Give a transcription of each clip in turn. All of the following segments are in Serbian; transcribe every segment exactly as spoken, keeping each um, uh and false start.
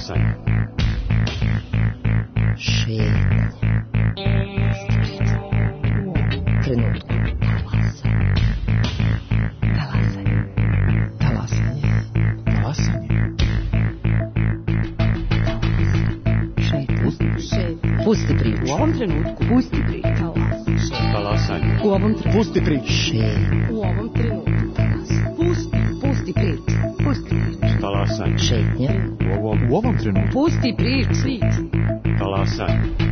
Talasanje. Šetnje. Trenutku. Talasanje. Talasanje. Talasanje. Šetnje. Pusti priču. U ovom trenutku. Pusti priču. Talasanje. U ovom trenutku. Pusti priču. Šetnje. U ovom trenutku. Pusti. Pusti priču. Pusti priču. Talasanje. Šetnje. U ovom, u ovom trenutku. Pusti priču. Talasanje.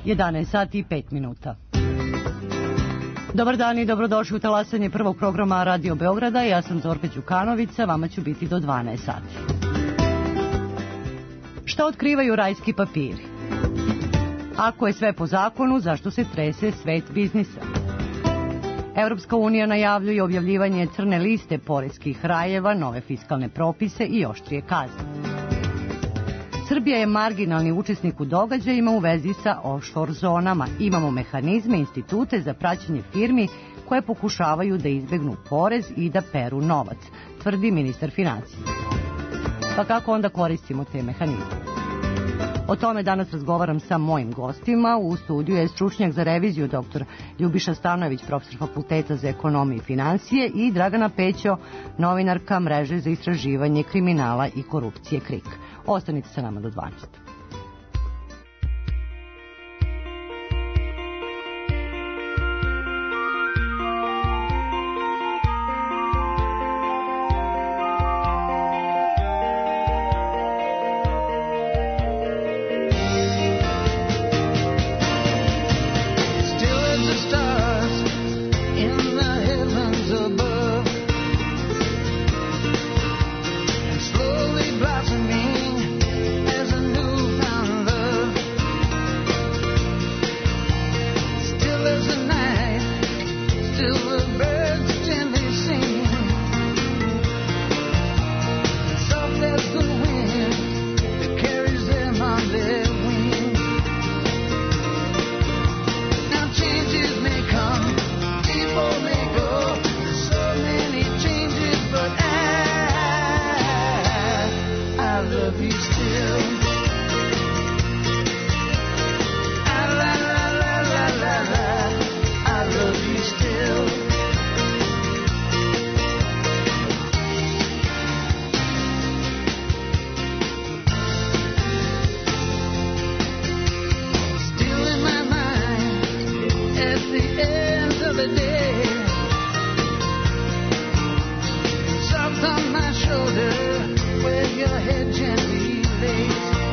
jedanaest sati i pet minuta. Dobar dan i dobrodošli u talasanje prvog programa Radio Beograda. Ja sam Zorka Đukanović, vama ću biti do dvanaest sati. Šta otkrivaju rajski papiri? Ako je sve po zakonu, zašto se trese svet biznisa? Evropska unija najavljuje objavljivanje crne liste poreskih rajeva, nove fiskalne propise i oštrije kazne. Srbija je marginalni učesnik u događajima u vezi sa offshore zonama. Imamo mehanizme, institute za praćenje firmi koje pokušavaju da izbegnu porez i da peru novac, tvrdi ministar financija. Pa kako onda koristimo te mehanizme? O tome danas razgovaram sa mojim gostima. U studiju je stručnjak za reviziju dr. Ljubiša Stanojević, profesor Fakulteta za ekonomiju i financije, i Dragana Pećo, novinarka Mreže za istraživanje kriminala i korupcije KRIK. Ostanite sa nama do dvanaest. Soft on my shoulder, where your head gently lays.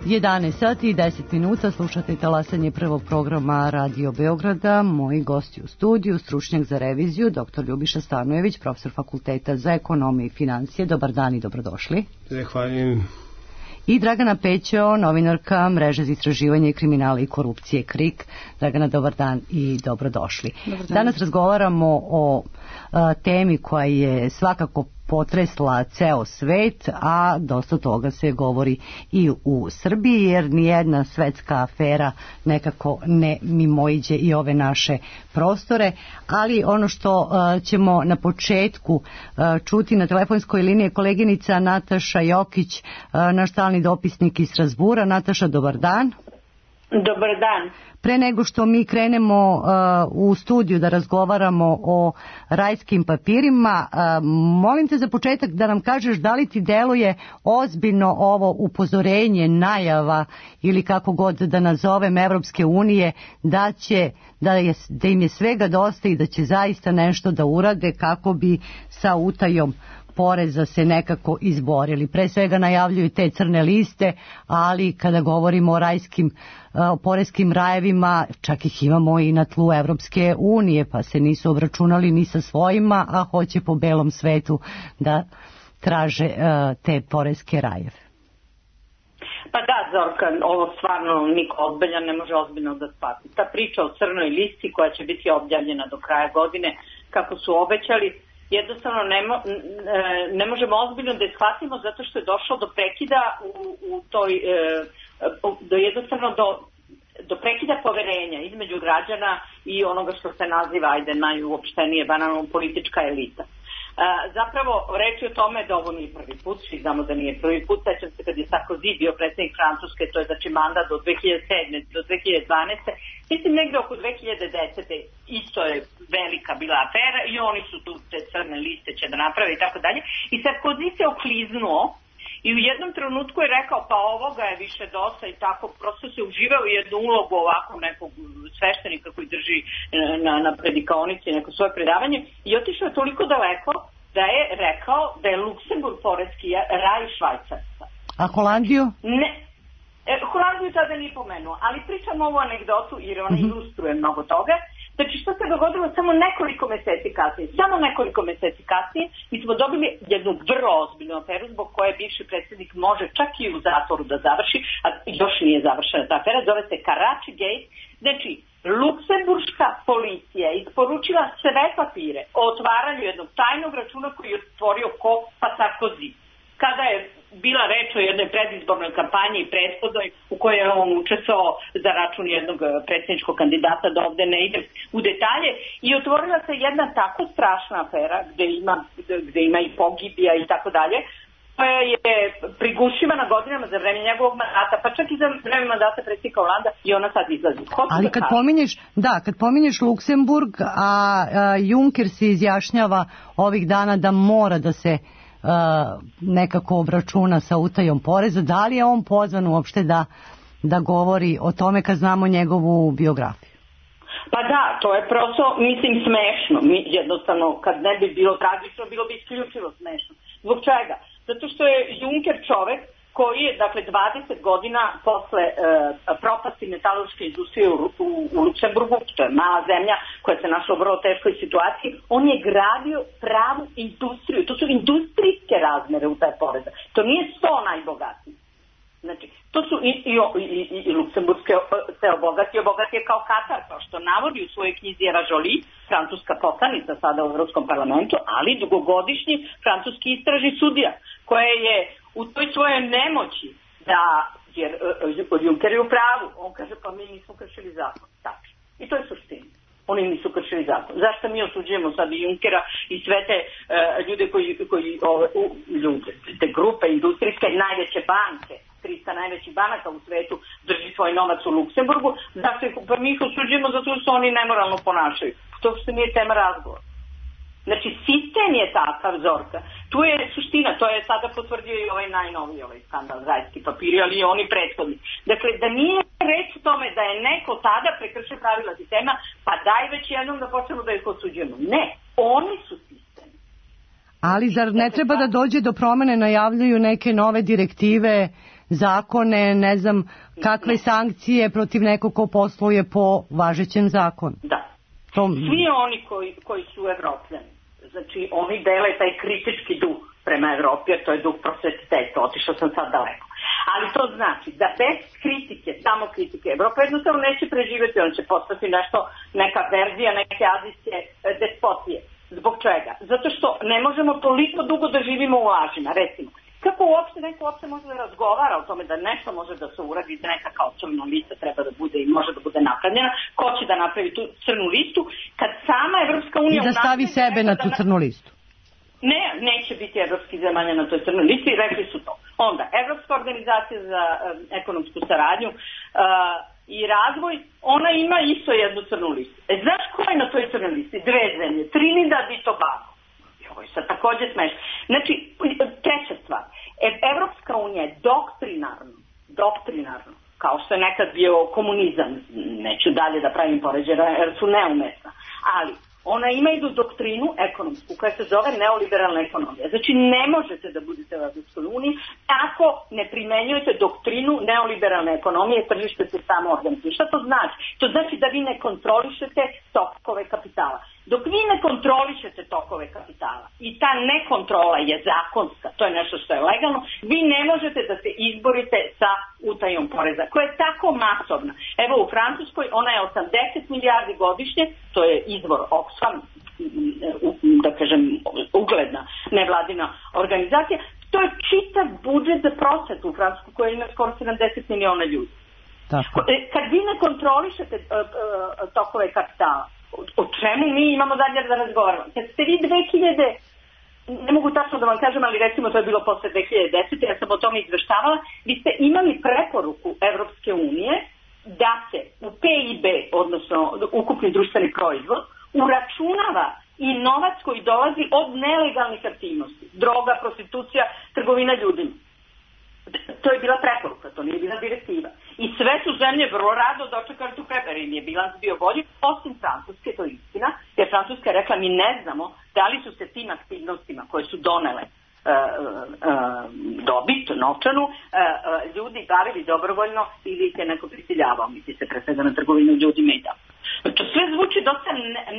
jedanaest sati i deset minuta, slušate talasanje prvog programa Radio Beograda. Moji gosti u studiju, stručnjak za reviziju, doktor Ljubiša Stanojević, profesor Fakulteta za ekonomiju i financije. Dobar dan i dobrodošli. Zahvaljujem. I Dragana Pećo, novinarka Mreže za istraživanje kriminala i korupcije KRIK. Dragana, dobar dan i dobrodošli. Dobar dan. Danas razgovaramo o a, temi koja je svakako potresla ceo svet, a dosta toga se govori i u Srbiji, jer nijedna svetska afera nekako ne mimoiđe i ove naše prostore. Ali ono što uh, ćemo na početku uh, čuti na telefonskoj liniji je koleginica Nataša Jokić, uh, naš stalni dopisnik iz Strazbura. Nataša, dobar dan. Dobar dan. Pre nego što mi krenemo uh, u studiju da razgovaramo o rajskim papirima, uh, molim te za početak da nam kažeš da li ti deluje ozbiljno ovo upozorenje, najava ili kako god da nazovem Evropske unije da će da, je, da im je svega dosta i da će zaista nešto da urade kako bi sa utajom poreza se nekako izborili. Pre svega najavljuju te crne liste, ali kada govorimo o rajskim o poreskim rajevima, čak ih imamo i na tlu Evropske unije, pa se nisu obračunali ni sa svojima, a hoće po belom svetu da traže uh, te poreske rajeve. Pa da, Zorka, ovo stvarno niko ozbiljan ne može ozbiljno da shvati. Ta priča o crnoj listi koja će biti objavljena do kraja godine, kako su obećali, jednostavno ne, mo, ne možemo ozbiljno da je shvatimo zato što je došlo do prekida u, u toj, do jednostavno do, do prekida poverenja između građana i onoga što se naziva, ajde, najuopštenije, banalno politička elita. Zapravo, reč je o tome da ovo nije prvi put, svi znamo da nije prvi put, sećam se kad je Sarkozy bio predsjednik Francuske, to je znači mandat do dve hiljade sedme do dve hiljade dvanaeste. Mislim negde oko dve hiljade desete isto je velika bila afera i oni su tu te crne liste će da naprave i tako dalje. I Sarkozy se okliznuo i u jednom trenutku je rekao pa ovoga je više dosta i tako, prosto se uživao u jednu ulogu ovako nekog sveštenika koji drži na, na predikaonici neko svoje predavanje i otišao je toliko daleko da je rekao da je Luksemburg poreski raj Švajcarska. A Holandiju? Ne. E, Holandiju tada nije pomenuo, ali pričam ovu anegdotu jer ona mm-hmm. ilustruje mnogo toga. Znači što se dogodilo samo nekoliko meseci kasnije, samo nekoliko meseci kasnije mi smo dobili jednu vrlo ozbiljnu aferu zbog koje bivši predsjednik može čak i u zatvoru da završi, a još nije završena ta afera, zove se Karachi Gate. Znači, luksemburška policija je isporučila sve papire o otvaranju jednog tajnog računa koji je otvorio ko pa Sarkozy. Kada je bila reč o jednoj predizbornoj kampanji i prethodnoj u kojoj je on učestvovao za račun jednog predsjedničkog kandidata, da ovde ne ide u detalje, i otvorila se jedna tako strašna afera gde ima, gde ima i pogibija i tako dalje, koja je prigušivana godinama za vreme njegovog mandata, pa čak i za vreme mandata predsjednika Holanda i ona sad izlazi. Hoću Ali da kad kažem. pominješ, da, kad pominješ Luksemburg, a, a Juncker se izjašnjava ovih dana da mora da se Uh, nekako obračuna sa utajom poreza, da li je on pozvan uopšte da, da govori o tome kad znamo njegovu biografiju? Pa da, to je prosto, mislim, smešno. Mi jednostavno, kad ne bi bilo tragično, bilo bi isključivo smešno. Zbog čega? Zato što je Juncker čovek koji je, dakle, dvadeset godina posle e, propasti metalurške industrije u, u, u Luksemburgu, što je mala zemlja koja se našla u vrlo teškoj situaciji, on je gradio pravu industriju. To su industrijske razmere u taj poreza. To nije sto najbogatiji. Znači, to su i, i, i, i, i Luksemburgske se obogati, obogati je kao Katar, kao što navodi u svojoj knjizi Era Jolie, francuska poslanica sada u Evropskom parlamentu, ali dugogodišnji francuski istražni sudija, koja je u toj svojoj nemoći da, jer uh, Juncker je u pravu, on kaže pa mi nismo kršili zakon, tako. I to je suština. Oni nisu kršili zakon. Zašto mi osuđujemo sad i Junckera i sve te uh, ljude koji, koji ove, uh, ljude, te grupe industrijske, najveće banke, trista najvećih banaka u svetu drži svoj novac u Luksemburgu, zašto ih, pa mi ih osuđujemo zato što oni nemoralno ponašaju. To što nije tema razgovora. Znači, sistem je takav, Zorka. Tu je suština, to je sada potvrdio i ovaj najnoviji ovaj skandal, rajski papiri, ali i oni prethodni. Dakle, da nije reč o tome da je neko tada prekršio pravila sistema, pa daj već jednom da počnemo da ih osuđujemo. Ne, oni su sistem. Ali zar ne treba da dođe do promene, najavljuju neke nove direktive, zakone, ne znam kakve sankcije protiv nekog ko posluje po važećem zakonu? Da. To... Svi oni koji, koji su Evropljani, znači oni dele taj kritički duh prema Evropi, jer to je duh prosvetiteta, otišao sam sad daleko. Ali to znači da bez kritike, samo kritike, Evropa jednostavno neće preživjeti, on će postati nešto, neka verzija neke azijske despotije. Zbog čega? Zato što ne možemo toliko dugo da živimo u lažima, recimo. Kako uopšte neko uopšte može da razgovara o tome da nešto može da se uradi, da neka kao crna lista treba da bude i može da bude napravljena, ko će da napravi tu crnu listu, kad sama Evropska unija... I da stavi sebe na tu crnu listu. Ne, neće biti evropskih zemalja na toj crnoj listi i rekli su to. Onda, Evropska organizacija za um, ekonomsku saradnju uh, i razvoj, ona ima isto jednu crnu listu. E, znaš ko je na toj crnoj listi? Dve zemlje, Trinidad i Tobago. Ovo je sad također smešno. Znači, treća stvar, e, Evropska unija je doktrinarno, doktrinarno, kao što je nekad bio komunizam, neću dalje da pravim poređenja jer su neumesna, ali ona ima jednu doktrinu ekonomsku koja se zove neoliberalna ekonomija. Znači ne možete da budete u Evropskoj uniji ako ne primenjujete doktrinu neoliberalne ekonomije, tržište se samo organizuje. Šta to znači? To znači da vi ne kontrolišete tokove kapitala. Dok vi ne kontrolišete tokove kapitala i ta nekontrola je zakonska, to je nešto što je legalno, vi ne možete da se izborite sa utajom poreza, koja je tako masovna. Evo u Francuskoj ona je osamdeset milijardi godišnje, to je izvor Oxfam, da kažem ugledna nevladina organizacija, to je čitav budžet za prosvetu u Francuskoj koja ima skoro sedamdeset miliona ljudi. Tako. Kad vi ne kontrolišete tokove kapitala, o čemu mi imamo dalje da razgovaramo? Kad ste vi dve hiljade, ne mogu tačno da vam kažem, ali recimo to je bilo posle dve hiljade desete. Ja sam o tome izveštavala, vi ste imali preporuku Evropske unije da se u P I B, odnosno ukupni društveni proizvod, uračunava i novac koji dolazi od nelegalnih aktivnosti, droga, prostitucija, trgovina ljudima. To je bila preporuka, to nije bila direktiva. I sve su zemlje vrlo rado dočekali tu preporuku, im je bilans bio bolji, osim Francuske, to je istina, jer Francuska je rekla mi ne znamo da li su se tim aktivnostima koje su donele Uh, uh, dobit, novčanu, uh, uh, ljudi bavili dobrovoljno ili ih je neko prisiljavao, misli se pre svega na trgovinu ljudima i tako. To sve zvuči dosta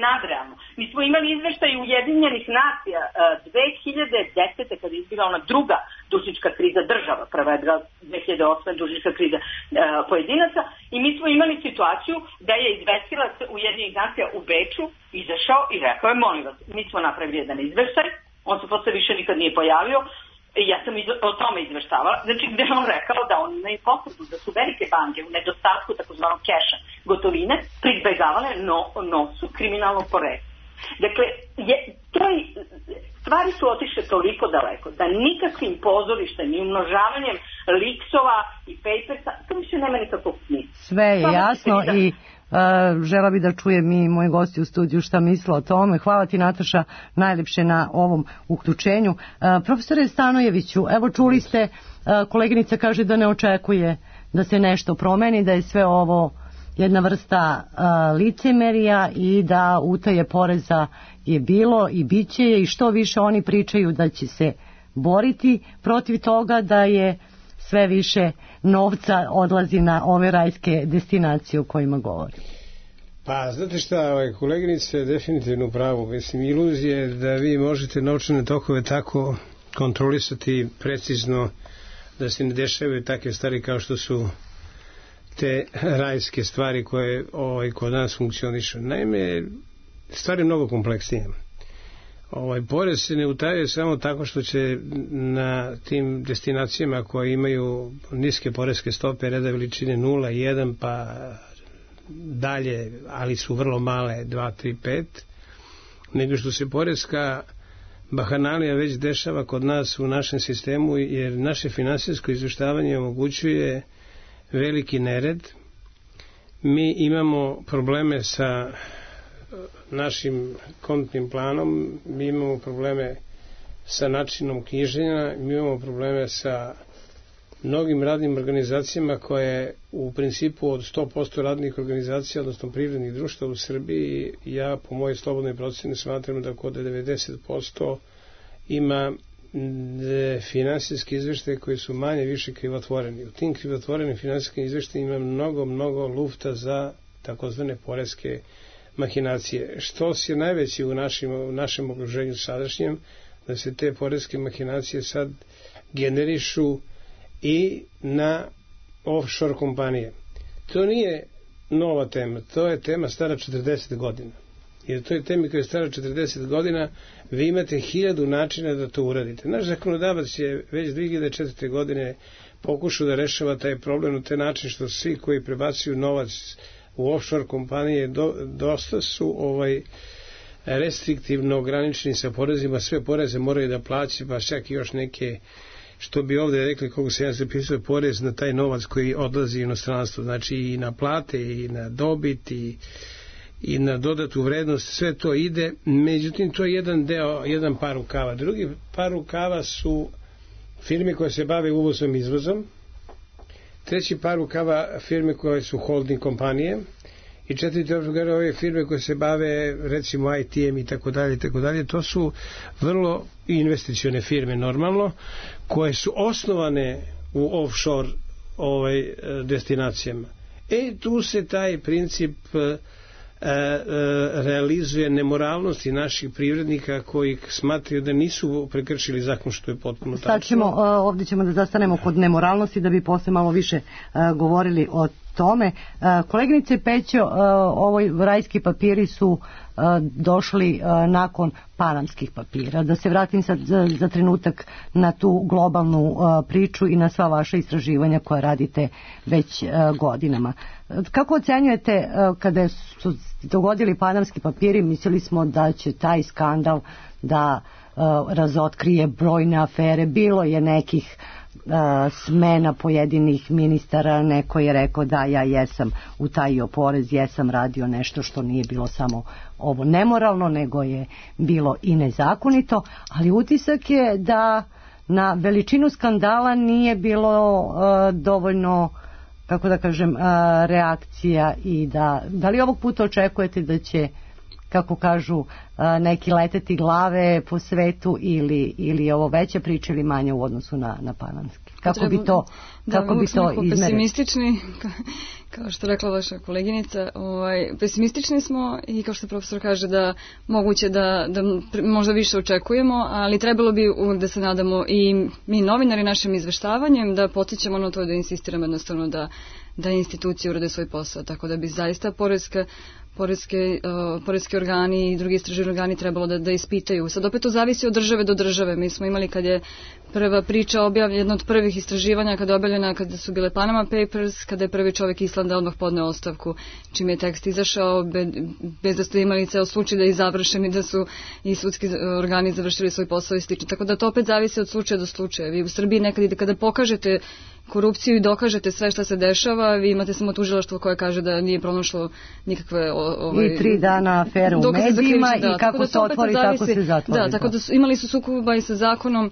nadrealno. Mi smo imali izveštaj Ujedinjenih nacija uh, dve hiljade desete kada je izbila ona druga dužnička kriza država, prva je dve hiljade osme dužnička kriza uh, pojedinaca i mi smo imali situaciju da je izvestilac Ujedinjenih nacija u Beču izašao i rekao je molim vas, mi smo napravili jedan izveštaj, on se posle više nikad nije pojavio i ja sam o tome izveštavala, znači gde on rekao da on imaju potrebu da su velike banke u nedostatku takozvanog keša gotovine pribegavale no, nosu kriminalnog porekla. Dakle, je, to je, stvari su otišle toliko daleko da nikakvim pozorištem i umnožavanjem liksova i papersa to više nema nikakvog smisla. Sve je jasno i Uh, žela bi da čujem i moji gosti u studiju šta misle o tome. Hvala ti Nataša najlepše na ovom uključenju. Uh, profesore Stanojeviću, evo čuli ste, uh, koleginica kaže da ne očekuje da se nešto promeni, da je sve ovo jedna vrsta uh, licemerija i da utaje poreza je bilo i bit će je i što više oni pričaju da će se boriti protiv toga, da je sve više novca odlazi na ove rajske destinacije o kojima govori. Pa, znate šta, ovaj, koleginice je definitivno pravo. Mislim, iluzija je da vi možete novčane tokove tako kontrolisati precizno da se ne dešavaju takve stvari kao što su te rajske stvari koje ovaj, kod nas funkcionišu. Naime, stvari je mnogo kompleksnije. Ovaj porez se ne utaje samo tako što će na tim destinacijama koje imaju niske poreske stope reda veličine nula, jedan pa dalje, ali su vrlo male dva, tri, pet, nego što se poreska bahanalija već dešava kod nas u našem sistemu, jer naše finansijsko izveštavanje omogućuje veliki nered. Mi imamo probleme sa našim kontnim planom, mi imamo probleme sa načinom knjiženja, mi imamo probleme sa mnogim radnim organizacijama koje u principu od sto posto radnih organizacija, odnosno privrednih društva u Srbiji, ja po mojoj slobodnoj proceni smatram da kod devedeset posto ima finansijski izveštaje koji su manje više krivotvoreni. U tim krivotvorenim finansijskim izveštajima ima mnogo, mnogo lufta za takozvane poreske mahinacije. Što je najveći u našim, u našem okruženju sadašnjem, da se te poreske mahinacije sad generišu i na offshore kompanije. To nije nova tema, to je tema stara četrdeset godina. Jer to je tema koja je stara četrdeset godina, vi imate hiljadu načina da to uradite. Naš zakonodavac je već dve hiljade četvrte. godine pokušao da rešava taj problem na taj način što svi koji prebacuju novac u offshore kompanije do, dosta su ovaj restriktivno ograničeni sa porezima, sve poreze moraju da plaćaju, pa čak i još neke, što bi ovde rekli, koliko se ja zapisuje, porez na taj novac koji odlazi u inostranstvo, znači i na plate, i na dobit, i, i na dodatu vrednost, sve to ide, međutim to je jedan deo, jedan par rukava. Drugi par rukava su firme koje se bave uvozom i izvozom, treći par rukava firme koje su holding kompanije, i četvrti rukava ove firme koje se bave recimo I T-em i tako dalje i tako dalje. To su vrlo investicione firme normalno, koje su osnovane u offshore ovaj, destinacijama. E tu se taj princip e, e, realizuje nemoralnosti naših privrednika koji smatraju da nisu prekršili zakon, što je potpuno tačno. Sad ćemo, ovdje ćemo da zastanemo kod nemoralnosti da bi posle malo više uh, govorili o tome. Uh, koleginice Pećo, uh, ovoj rajski papiri su uh, došli uh, nakon panamskih papira. Da se vratim sad za, za trenutak na tu globalnu uh, priču i na sva vaša istraživanja koja radite već uh, godinama. Kako ocenjujete uh, kada su dogodili panamski papiri, mislili smo da će taj skandal da uh, razotkrije brojne afere, bilo je nekih uh, smena pojedinih ministara, neko je rekao da ja jesam utajio porez, jesam radio nešto što nije bilo samo ovo nemoralno, nego je bilo i nezakonito, ali utisak je da na veličinu skandala nije bilo uh, dovoljno, kako da kažem, uh, reakcija, i da, da li ovog puta očekujete da će, kako kažu, neki leteti glave po svetu, ili, ili ovo veća priča ili manja u odnosu na, na panamski? Kako Treba, bi to, kako da, bi to izmerili? Pesimistični, kao što rekla vaša koleginica, ovaj, pesimistični smo i kao što profesor kaže da moguće da, da možda više očekujemo, ali trebalo bi uvek da se nadamo i mi novinari našim izveštavanjem da potičemo na to, da insistiramo jednostavno da, da institucije urade svoj posao, tako da bi zaista poreska Poreske, uh, poreski organi i drugi istraživani organi trebalo da, da ispitaju. Sad opet to zavisi od države do države. Mi smo imali kad je prva priča objavljena, jedna od prvih istraživanja kada je objavljena, kada su bile Panama Papers, kada je prvi čovjek Islanda odmah podneo ostavku, čim je tekst izašao, be, bez da ste imali ceo slučaj da je završen i da su i sudski organi završili svoj posao i slično. Tako da to opet zavisi od slučaja do slučaja. Vi u Srbiji nekad ide kada pokažete korupciju i dokažete sve šta se dešava, vi imate samo tužilaštvo koje kaže da nije pronašlo nikakve ovaj, i tri dana afere u medijima i da, kako da se otvori, tako se zatvori. Da, tako da su, imali su sukoba i sa zakonom.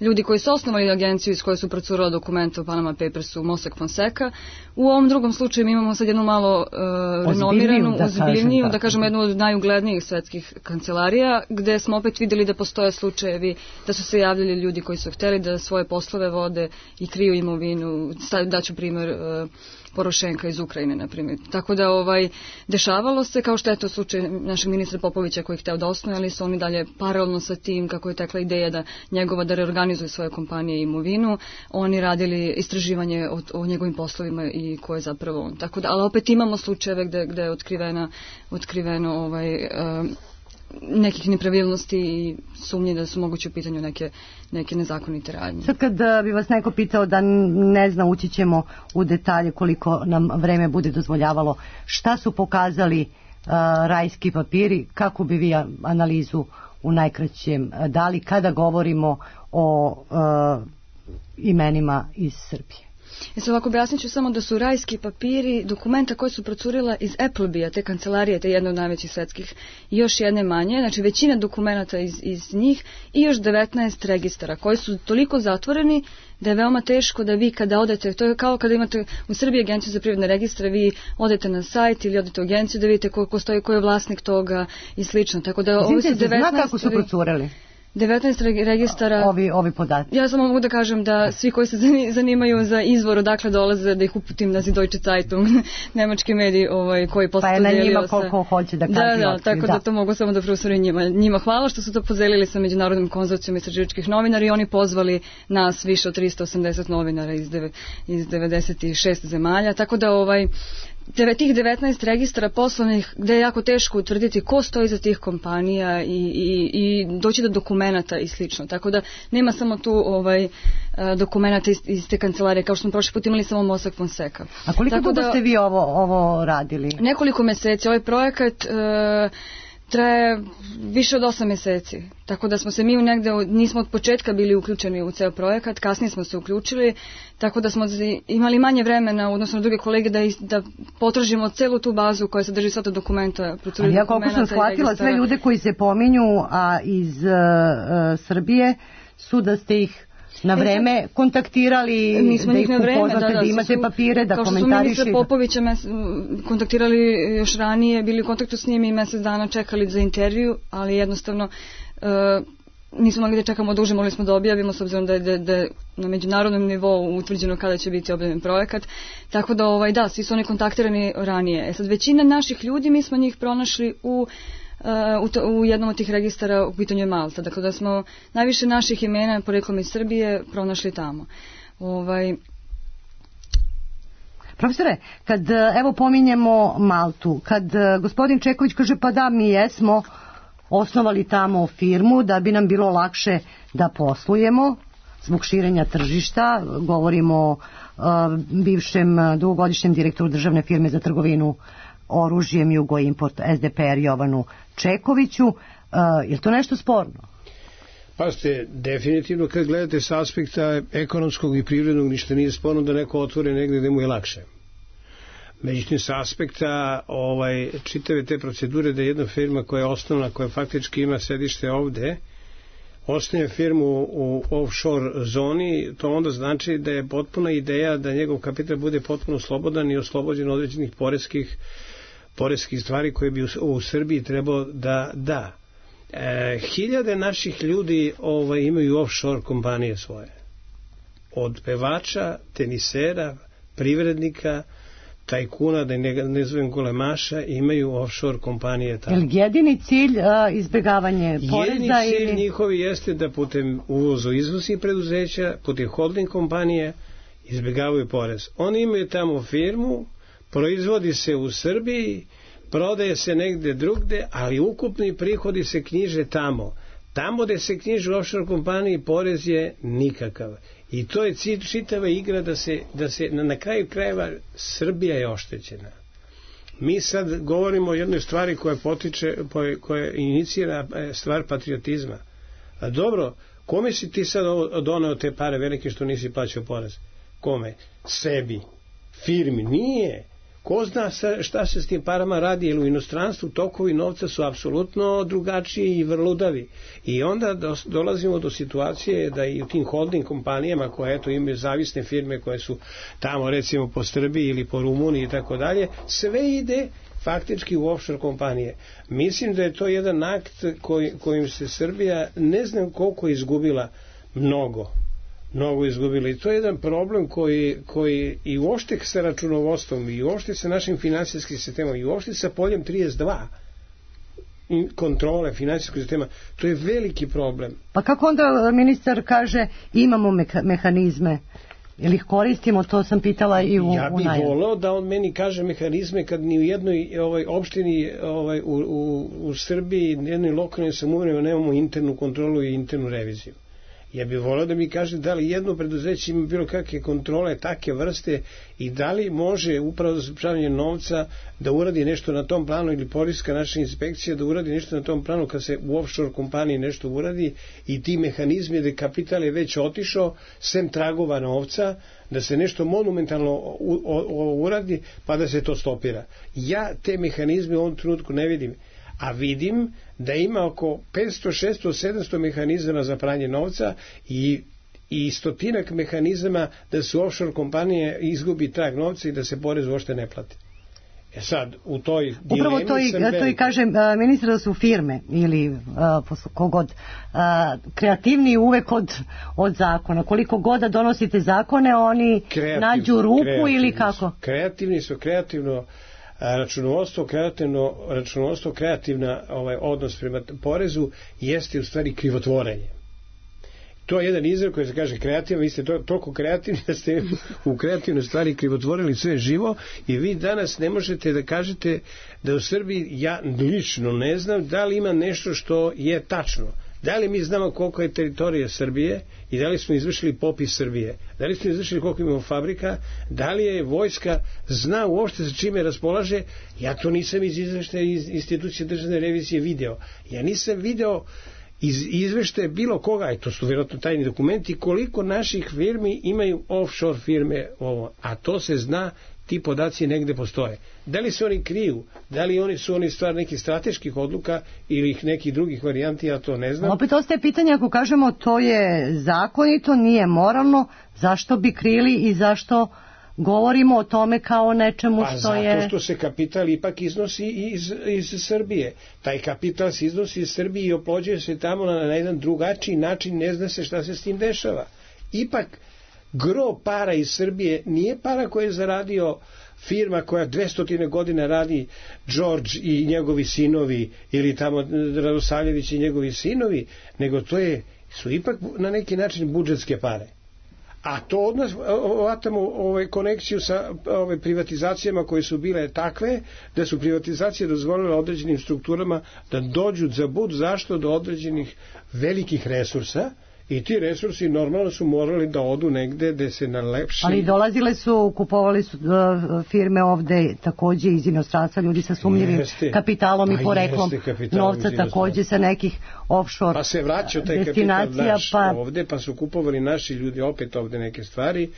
Ljudi koji su osnovali agenciju iz koje su procurala dokumenta u Panama Papersu, Mossack Fonseca. U ovom drugom slučaju mi imamo sad jednu malo uh, renomiranu, da ozbiljniju, kažem, da kažemo jednu od najuglednijih svetskih kancelarija, gde smo opet vidjeli da postoje slučajevi, da su se javljali ljudi koji su hteli da svoje poslove vode i kriju imovinu. Daću primjer uh, Porošenka iz Ukrajine, na primjer. Tako da ovaj, dešavalo se, kao što je to slučaj našeg ministra Popovića koji je hteo da osnuje, ali su oni dalje paralelno sa tim, kako je tekla ideja da njegova da reorganizuje svoje kompanije i imovinu, oni radili istraživanje o, o njegovim poslovima i ko je zapravo on. Tako da, ali opet imamo slučajeve gde, gde je otkrivena, otkriveno ovaj, uh, nekih nepravilnosti i sumnje da su moguće u pitanju neke, neke nezakonite radnje. Sad kad bi vas neko pitao da ne zna, ući ćemo u detalje koliko nam vreme bude dozvoljavalo, šta su pokazali uh, rajski papiri, kako bi vi analizu u najkraćem dali kada govorimo o uh, imenima iz Srbije? E sad ovako objasnit ću samo da su rajski papiri dokumenta koje su procurila iz Applebija, te kancelarije, te jedne od najvećih svetskih, i još jedne manje, znači većina dokumenta iz, iz njih i još devetnaest registara koji su toliko zatvoreni da je veoma teško da vi kada odete, to je kao kada imate u Srbiji agenciju za privredne registre, vi odete na sajt ili odete u agenciju da vidite ko, ko stoji, ko je vlasnik toga i slično. Tako da ovo su devetnaest... Zna kako su procureli? devetnaest registara. Ovi, ovi podaci. Ja samo mogu da kažem da svi koji se zanimaju za izvor odakle dolaze, da ih uputim na Süddeutsche Zeitung, nemački mediji ovaj, koji posle pa je na njima sa... koliko hoće da kaže. Da, da, tako da. da to mogu samo da profesorim njima. Njima hvala što su to podelili sa Međunarodnim konzorcijom istraživačkih novinara i oni pozvali nas više od trista osamdeset novinara iz, deve, iz devedeset šest zemalja, tako da ovaj tih devetnaest registara poslovnih gde je jako teško utvrditi ko stoji za tih kompanija i, i, i doći do dokumenata i slično. Tako da nema samo tu ovaj, dokumenata iz, iz te kancelarije, kao što smo prošli put imali samo Mossack Fonseca. A koliko Tako dugo da, ste vi ovo, ovo radili? Nekoliko meseci. Ovaj projekat e, traje više od osam meseci. Tako da smo se mi negde, nismo od početka bili uključeni u ceo projekat, kasnije smo se uključili, tako da smo imali manje vremena, odnosno druge kolege, da, da potražimo celu tu bazu koja sadrži sva ta dokumenta. Ali ja koliko sam shvatila, sve ljude koji se pominju a iz uh, uh, Srbije su da ste ih na vreme e, kontaktirali, mi smo da ih na vreme, upoznate, da, da, da imate su, papire, da kao komentariši. Kao što smo ministra Popovića mes, kontaktirali još ranije, bili u kontaktu s njim i mesec dana čekali za intervju, ali jednostavno uh, nismo mogli da čekamo duže, mogli smo da objavimo s obzirom da je, da, da na međunarodnom nivou utvrđeno kada će biti objavljen projekat. Tako da, ovaj, da, svi su oni kontaktirani ranije. E sad, većina naših ljudi, mi smo njih pronašli u U, to, u jednom od tih registara, u pitanju je Malta. Dakle, da smo najviše naših imena poreklom iz Srbije pronašli tamo. Ovaj... Profesore, kad evo pominjemo Maltu, kad gospodin Čeković kaže pa da, mi jesmo osnovali tamo firmu da bi nam bilo lakše da poslujemo zbog širenja tržišta, govorimo o uh, bivšem dugogodišnjem direktoru državne firme za trgovinu oružjem Jugoimport S D P R Jovanu Čekoviću. Uh, je li to nešto sporno? Pa ste, definitivno kad gledate s aspekta ekonomskog i privrednog, ništa nije sporno da neko otvore negde gde mu je lakše. Međutim, s aspekta ovaj, čitave te procedure da jedna firma koja je osnovna, koja faktički ima sedište ovde, osnovne firmu u offshore zoni, to onda znači da je potpuna ideja da njegov kapital bude potpuno slobodan i oslobođen određenih poreskih, poreskih stvari koje bi u, u Srbiji trebalo da da. E, hiljade naših ljudi ovaj, imaju offshore kompanije svoje. Od pevača, tenisera, privrednika, tajkuna, da ne, ne zovem golemaša, imaju offshore kompanije tamo. Je li jedini cilj a, izbjegavanje poreza? Jedini cilj ili... njihovi jeste da putem uvozu izvoznih preduzeća, putem holding kompanije izbjegavaju porez. Oni imaju tamo firmu, proizvodi se u Srbiji, prodaje se negde drugde, ali ukupni prihodi se knjiže tamo. Tamo gde se knjiže u offshore kompaniji porez je nikakav. I to je cilj čitava igra da se, da se na, na kraju krajeva Srbija je oštećena. Mi sad govorimo o jednoj stvari koja potiče, koja inicira stvar patriotizma. A dobro, kome si ti sad doneo te pare velike što nisi plaćao porez? Kome? Sebi. Firmi. Nije. Ko zna šta se s tim parama radi, jer u inostranstvu tokovi novca su apsolutno drugačiji i vrludavi. I onda do, dolazimo do situacije da i u tim holding kompanijama koje eto imaju zavisne firme koje su tamo recimo po Srbiji ili po Rumuniji i tako dalje, sve ide faktički u offshore kompanije. Mislim da je to jedan akt koj, kojim se Srbija ne znam koliko izgubila, mnogo. mnogo izgubili. I to je jedan problem koji, koji i uopšte sa računovodstvom, i uopšte sa našim finansijskim sistemom, i uopšte sa poljem trideset dva kontrole finansijskog sistema, to je veliki problem. Pa kako onda ministar kaže imamo meka, mehanizme, ili ih koristimo, to sam pitala i u Ja bih voleo da on meni kaže mehanizme kad ni u jednoj ovaj, opštini ovaj, u, u, u Srbiji, jednoj lokalnoj samoupravi nemamo internu kontrolu i internu reviziju. Ja bih voleo da mi kaže da li jedno preduzeće ima bilo kakve kontrole takve vrste i da li može upravo za sprečavanje novca da uradi nešto na tom planu ili poreska naša inspekcija da uradi nešto na tom planu kad se u offshore kompaniji nešto uradi i ti mehanizmi da kapital je već otišao sem tragova novca, da se nešto monumentalno u, u, uradi pa da se to stopira. Ja te mehanizme u ovom trenutku ne vidim. A vidim da ima oko petsto, šesto, sedamsto mehanizama za pranje novca i, i stotinak mehanizama da se offshore kompanije izgubi trag novca i da se porez uopšte ne plati. E sad, u toj Upravo dilemi to i, sam to i veliki. kažem, ministra da su firme ili uh, kogod uh, kreativniji uvek od, od zakona. Koliko god da donosite zakone, oni Kreativ, nađu rupu ili kako? Su, kreativni su, kreativno a, računovodstvo, kreativno računovodstvo, kreativna ovaj, odnos prema porezu jeste u stvari krivotvorenje. To je jedan izraz koji se kaže kreativan, vi ste to, toliko kreativni da ste u kreativnoj stvari krivotvorili sve živo i vi danas ne možete da kažete da u Srbiji, ja lično ne znam da li ima nešto što je tačno. Da li mi znamo koliko je teritorija Srbije i da li smo izvršili popis Srbije? Da li smo izvršili koliko imamo fabrika? Da li je vojska zna uopšte sa čime raspolaže? Ja to nisam iz izveštaja iz institucije državne revizije video. Ja nisam video iz izveštaja bilo koga, i to su vjerojatno tajni dokumenti, koliko naših firmi imaju offshore firme ovo, a to se zna, ti podaci negde postoje. Da li se oni kriju, da li oni su oni stvar nekih strateških odluka ili ih nekih drugih varijanti, ja to ne znam. Opet ostaje pitanje, ako kažemo to je zakonito, nije moralno, zašto bi krili i zašto govorimo o tome kao nečemu pa što je... Pa zato što se kapital ipak iznosi iz, iz Srbije. Taj kapital se iznosi iz Srbije i oplođuje se tamo na, na jedan drugačiji način, ne zna se šta se s tim dešava. Ipak, gro para iz Srbije nije para koje je zaradio firma koja dvesta godina radi Đorđ i njegovi sinovi ili tamo Radosavljević i njegovi sinovi, nego to je, su ipak na neki način budžetske pare. A to od nas vatamo ovaj, konekciju sa ovaj, privatizacijama koje su bile takve da su privatizacije dozvolile određenim strukturama da dođu za bud zašto do određenih velikih resursa i ti resursi normalno su morali da odu negde gde se nalepši. Ali dolazile su, kupovali su uh, firme ovde takođe iz inostranstva, ljudi sa sumnjivim jeste, kapitalom i poreklom novca takođe sa nekih offshore pa se vraća taj kapital naš pa... ovde, pa su kupovali naši ljudi opet ovde neke stvari.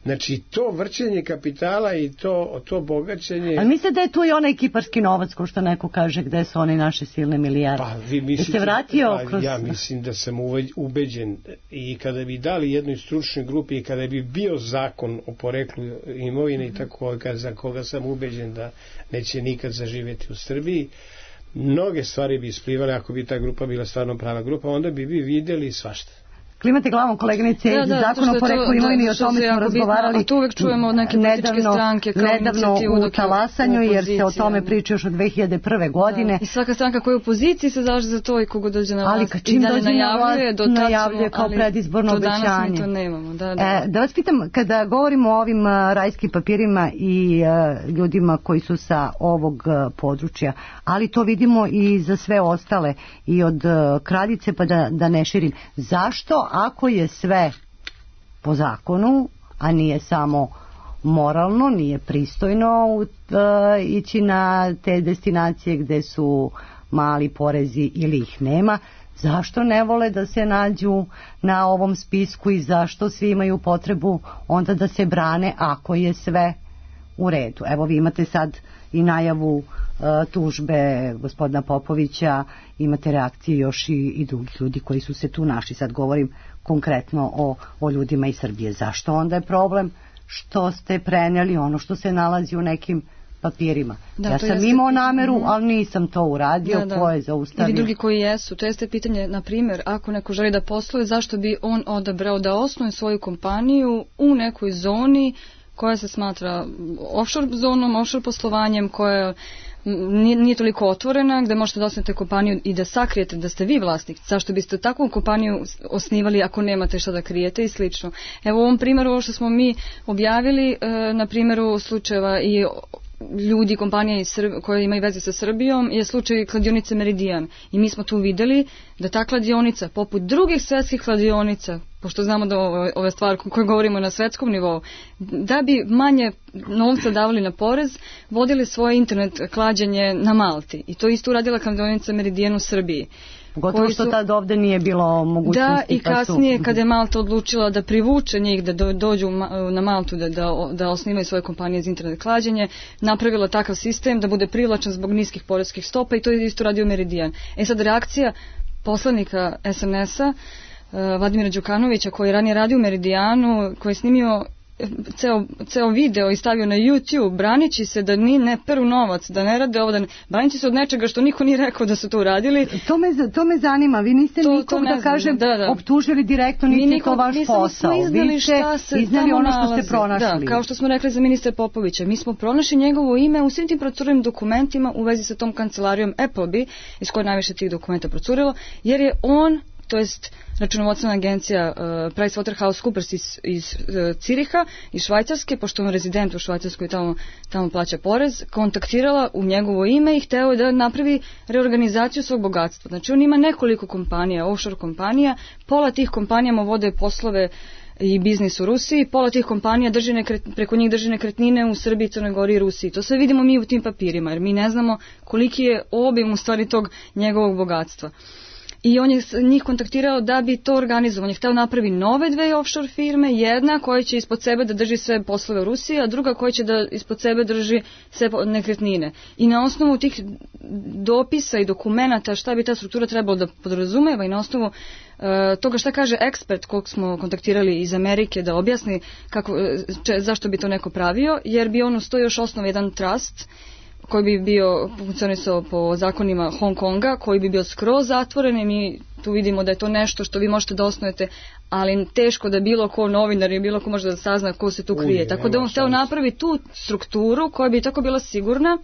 Znači, to vrćenje kapitala i to, to bogaćenje... Ali mislite da je tu i onaj kiparski novac, ko što neko kaže, gde su one naše silne milijarde? Pa, vi mislite, se vratio pa, kroz... Ja mislim da sam ubeđen i kada bi dali jednoj stručnoj grupi i kada bi bio zakon o poreklu imovine i tako, za koga sam ubeđen da neće nikad zaživjeti u Srbiji, mnoge stvari bi isplivale ako bi ta grupa bila stvarno prava grupa, onda bi vi vidjeli svašta. Klimate glavom, koleginice, da, da, zakon o poreklu imovine i o tome smo razgovarali. A tu uvek čujemo od neke političke stranke kao nedavno u talasanju, jer se o tome priča još od dve hiljade prve godine. Da. I svaka stranka koja je u opoziciji se zalaže za to i kogo dođe na vlast. Ali čim dođe na vlast, najavljuje kao predizborno obećanje. Do danas mi to nemamo. Da, da. E, da vas pitam, kada govorimo o ovim uh, rajskim papirima i uh, ljudima koji su sa ovog uh, područja, ali to vidimo i za sve ostale, i od uh, kraljice pa da, da ne širim. Zašto, ako je sve po zakonu, a nije samo moralno, nije pristojno uh, ići na te destinacije gde su mali porezi ili ih nema, zašto ne vole da se nađu na ovom spisku i zašto svi imaju potrebu onda da se brane ako je sve u redu? Evo, vi imate sad i najavu uh, tužbe gospodina Popovića, imate reakcije još i, i drugih ljudi koji su se tu našli. Sad govorim konkretno o, o ljudima iz Srbije. Zašto onda je problem što ste prenijeli ono što se nalazi u nekim papirima? Da, ja sam jeste... imao nameru, ali nisam to uradio, da, da. Ko je zaustavio? Ili drugi koji jesu. To jeste pitanje, na primjer, ako neko želi da posluje, zašto bi on odabrao da osnuje svoju kompaniju u nekoj zoni koja se smatra offshore zonom, offshore poslovanjem, koja nije, nije toliko otvorena, gde možete da osnujete kompaniju i da sakrijete da ste vi vlasnik. Zašto biste takvu kompaniju osnivali ako nemate šta da krijete i slično. Evo u ovom primjeru, ovo što smo mi objavili, na primjeru slučajeva i ljudi, kompanije iz Srb... koje imaju veze sa Srbijom, je slučaj kladionice Meridian. I mi smo tu videli da ta kladionica, poput drugih svetskih kladionica, pošto znamo da ove, ove stvari koje govorimo na svetskom nivou, da bi manje novca davali na porez, vodili svoje internet klađenje na Malti. I to isto uradila kladionica Meridian u Srbiji. Pogotovo što tad ovde nije bilo mogućnosti. Da, i kasnije kada je Malta odlučila da privuče njih da dođu na Maltu da, da, da osnivaju svoje kompanije za internet klađenje, napravila takav sistem da bude privlačan zbog niskih poreskih stopa i to je isto radio Meridian. E sad reakcija poslanika es en es-a, Vladimira Đukanovića, koji je ranije radio u Meridijanu, koji je snimio ceo, ceo video i stavio na YouTube, branići se da ni ne peru novac, da ne rade ovo, da ne, branići se od nečega što niko nije rekao da su to uradili. To me, to me zanima, vi niste to, nikog, to da kažem, da, da. optužili direktno, niti je to vaš posao. Vi ste iznali ono što ste pronašli. Da, kao što smo rekli za ministra Popovića, mi smo pronašli njegovo ime u svim tim procurnim dokumentima u vezi sa tom kancelarijom Appleby, iz koje najviše tih dokumenta procurilo, jer je on, to jest računovodstvena agencija uh, PricewaterhouseCoopers iz, iz uh, Ciriha, iz Švajcarske, pošto on rezident u Švajcarskoj tamo, tamo plaća porez, kontaktirala u njegovo ime i hteo je da napravi reorganizaciju svog bogatstva. Znači on ima nekoliko kompanija, offshore kompanija, pola tih kompanija mu vode poslove i biznis u Rusiji, pola tih kompanija drži nekret, preko njih drži nekretnine u Srbiji, Crnoj Gori i Rusiji. To sve vidimo mi u tim papirima, jer mi ne znamo koliki je obim u stvari tog njegovog bogatstva. I on je njih kontaktirao da bi to organizovao. On je hteo napravi nove dve offshore firme, jedna koja će ispod sebe da drži sve poslove u Rusiji, a druga koja će da ispod sebe drži sve nekretnine. I na osnovu tih dopisa i dokumenata šta bi ta struktura trebalo da podrazumeva i na osnovu uh, toga šta kaže ekspert kog smo kontaktirali iz Amerike da objasni kako, če, zašto bi to neko pravio, jer bi on ustoji još osnov jedan trust koji bi bio funkcionisao po zakonima Hong Konga, koji bi bio skroz zatvoren i mi tu vidimo da je to nešto što vi možete da osnujete, ali teško da bilo ko novinar i bilo ko može da sazna ko se tu krije. Uje, tako da on hteo napravi tu strukturu koja bi tako bila sigurna.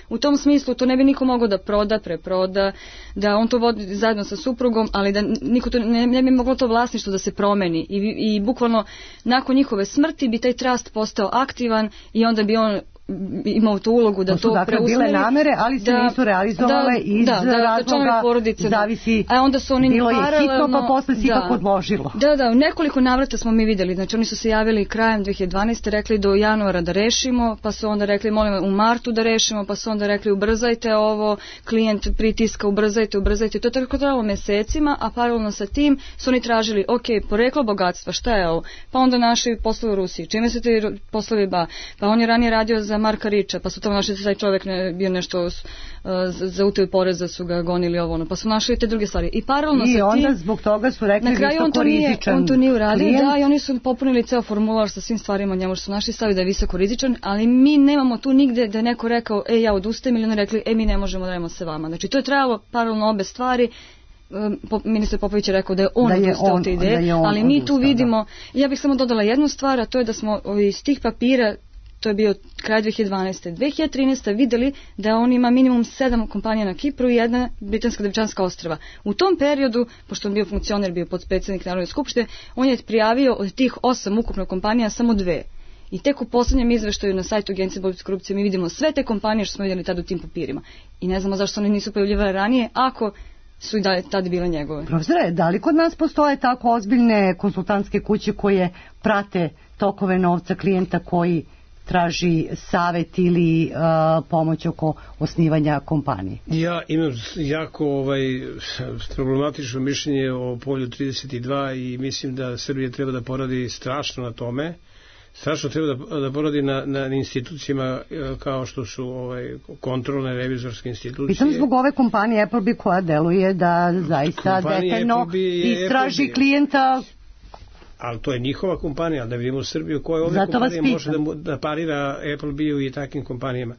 U tom smislu to ne bi niko mogao da proda, preproda, da on to vodi zajedno sa suprugom, ali da niko to ne, ne bi moglo to vlasništvo da se promeni. I, i bukvalno nakon njihove smrti bi taj trust postao aktivan i onda bi on imao tu ulogu da to, to dakle preusmeri. Bile namere, ali se da, nisu realizovale da, iz da, da, razloga porodice, zavisi, a onda su oni bilo je hitno pa posle se ipak odložilo. Da, da, u nekoliko navrata smo mi videli, znači oni su se javili krajem dve hiljade dvanaeste. rekli do januara da rešimo, pa su onda rekli molim u martu da rešimo, pa su onda rekli ubrzajte ovo, klijent pritiska, ubrzajte, ubrzajte, to je tako trajalo mesecima, a paralelno sa tim su oni tražili, ok, poreklo bogatstva, šta je ovo, pa onda našli poslove u Rusiji, čime se ti poslovi ba, pa on je ranije radio za Marka Riča, pa su tamo našli da taj čovjek ne, bio nešto uh, za utaju poreza, su ga gonili ovo ono, pa su našli te druge stvari. I paralelno I sa tim... I onda zbog toga su rekli na kraju on to nije, on to nije uradio, klijent. Da, i oni su popunili ceo formular sa svim stvarima, njemu su našli stavi da je visoko rizičan, ali mi nemamo tu nigde da je neko rekao, e, ja odustajem, ili oni rekli, e, mi ne možemo da radimo sa vama. Znači, to je trajalo paralelno obe stvari. Ministar Popović je rekao da je on da je odustao od te ideje, ali mi tu vidimo, da. Ja bih samo dodala jednu stvar, a to je da smo iz tih papira, to je bio kraj dve hiljade dvanaeste. dve hiljade trinaeste. videli da on ima minimum sedam kompanija na Kipru i jedna britanska Devičanska ostrva. U tom periodu, pošto on bio funkcioner, bio podpredsednik Narodne skupštine, on je prijavio od tih osam ukupno kompanija samo dve. I tek u poslednjem izveštaju na sajtu Agencije borbe protiv korupcije mi vidimo sve te kompanije što smo vidjeli tada u tim papirima. I ne znamo zašto one nisu pojavljivale ranije, ako su i da tada bile njegove. Profesore, da li kod nas postoje tako ozbiljne konsultantske kuće koje prate tokove novca klijenta koji traži savet ili uh, pomoć oko osnivanja kompanije? Ja imam jako ovaj, problematično mišljenje o polju trideset dva i mislim da Srbija treba da poradi strašno na tome. Strašno treba da, da poradi na, na institucijama kao što su ovaj, kontrolne revizorske institucije. Pitam zbog ove kompanije Appleby koja deluje da zaista detaljno istraži Appleby. Klijenta. Ali to je njihova kompanija, da vidimo Srbiju koja ove Zato kompanije može da, da parira Appleby i takvim kompanijama.